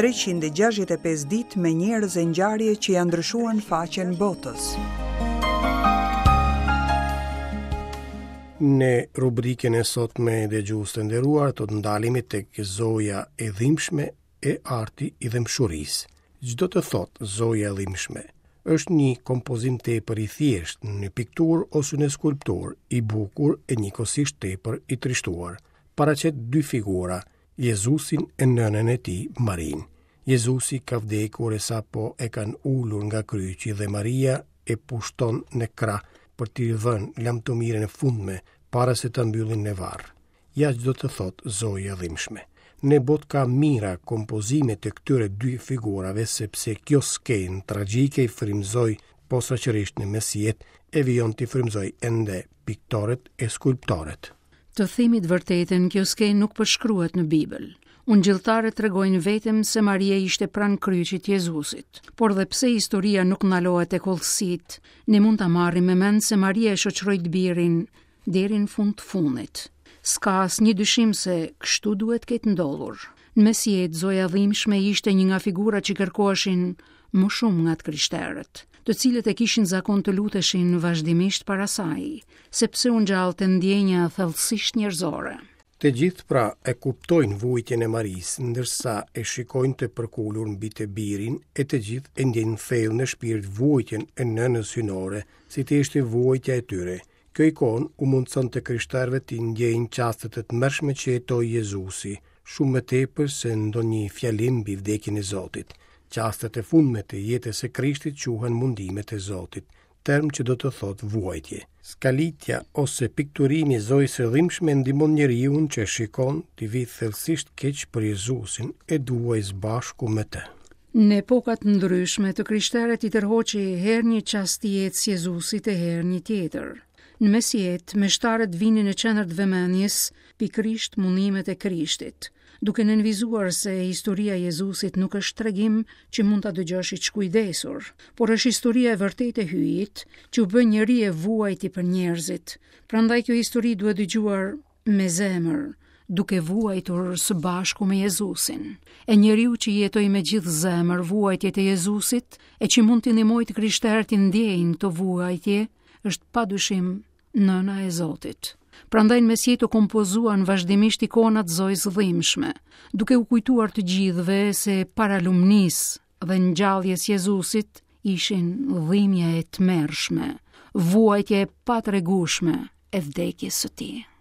365 ditë me njerëz e ngjarje që ia ndryshuan faqen botës. Në rubrikën e sotme dëgjues të nderuar do të ndalemi tek Zoja e dhimbshme e arti i dhembshurisë. Ç'do të thotë Zoja e dhimbshme? Është një kompozim tepër i thjeshtë në pikturë ose në skulpturë, i bukur e njëkohësisht tepër i trishtuar. Paraqet dy figura, Jezusin e nënën e tij, Marinë. Jezusi ka vdekur e sapo e kanë ulur nga kryqi dhe Maria e pushton në krah për t'i dhënë lamtumirën e fundme para se ta mbyllin në varr. Ja ç'do të thotë Zoja e dhimbshme. Në botë ka mijëra kompozime të këtyre dy figurave sepse kjo skenë tragjike i frymëzoi posaçërisht në mesjetë e vijon t'i frymëzojë ende piktorët e skulptorët. Të themi të vërtetën, kjo skenë nuk përshkruhet në Bibël. Ungjilltarët tregojnë vetëm se Maria ishte pranë kryqit të Jezusit. Por dhe pse historia nuk ndalohet tek hollësitë, ne mund ta marrim me mend se Maria e shoqëroi të birin deri në fund të fundit. S'ka asnjë dyshim se kështu duhet të ketë ndodhur. Në mesjetë, Zoja e dhimbshme ishte një nga figurat që kërkoheshin më shumë nga të krishterët, të cilët e kishin zakon të luteshin vazhdimisht para saj, sepse u ngjallte ndjenja thellësisht njerëzore. Të gjithë pra e kuptojnë vuajtjen e Marisë, ndërsa e shikojnë të përkulur mbi të birin, e të gjithë e ndjejnë thellë në shpirt vuajtjen e nënës hyjnore, si të ishte vuajtja e tyre. Kjo ikonë u mundëson të krishterëve t'i ndjejnë çastet e tmerrshme që jetoi Jezusi, shumë më tepër se ndonjë fjalim mbi vdekjen e Zotit. Çastet e fundme të jetës së Krishtit quhen mundimet e Zotit, term që do të thotë vuajtje. Skalitja ose pikturimi i Zojës së dhimbshme ndihmon njeriun që e shikon t'i vijë thellësisht keq për Jezusin e të vuajë së bashku me të. Në epoka të ndryshme të krishterët i tërhoqi herë një çast i jetës Jezusit e herë një tjetër. Në mesjetë, meshtarët vinin në qendër të vëmendjes pikërisht mundimet e Krishtit, duke nënvizuar se historia e Jezusit nuk është tregim që mund ta dëgjosh i shkujdesur, por është historia e vërtetë e Hyjit, që u bë njeri e vuajti për njerëzit. Prandaj kjo histori duhet dëgjuar me zemër, duke vuajtur së bashku me Jezusin. E njeriu që jetoi me gjithë zemër vuajtjet e Jezusit, e që mund t'i ndihmojë të krishterët t'i ndjejnë këto vuajtje, është pa dyshim nëna e Zotit. Prandaj në mesjetë u kompozuan vazhdimisht ikonat e Zojës së dhimbshme, duke u kujtuar të gjithëve se para lumnisë dhe ngjalljes Jezusit ishin dhimbje e tmerrshme, vuajtje e patregueshme e vdekjes së tij.